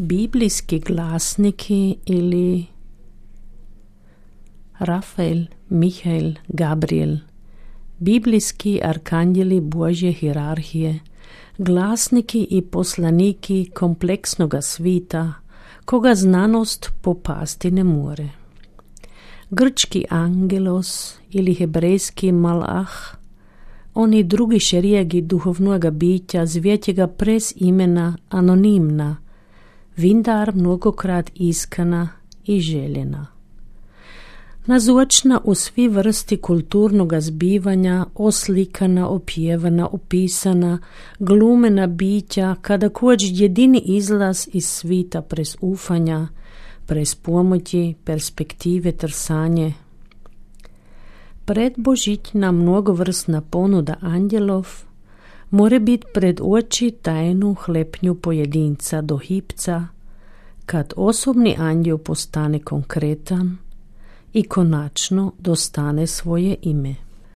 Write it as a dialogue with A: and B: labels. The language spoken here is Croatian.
A: Biblijski glasniki ili Rafael, Mihael, Gabriel, biblijski arkanđeli Božje hirarhije, glasniki i poslaniki kompleksnoga svita, koga znanost popasti ne more. Grčki angelos ili hebrejski malach, oni drugi šerijegi duhovnoga bića zvjetjega prez imena anonimna, vindar mnogokrat iskana i željena. Nazočna u svi vrsti kulturnoga zbivanja, oslikana, opjevana, opisana, glumena bića, kada kođ jedini izlaz iz svita prez ufanja, prez pomoći, perspektive trsanje. Predbožićna mnogovrsna ponuda anđelov more bit pred oči tajnu hlepnju pojedinca do hipca, kad osobni anđel postane konkretan i konačno dostane svoje ime.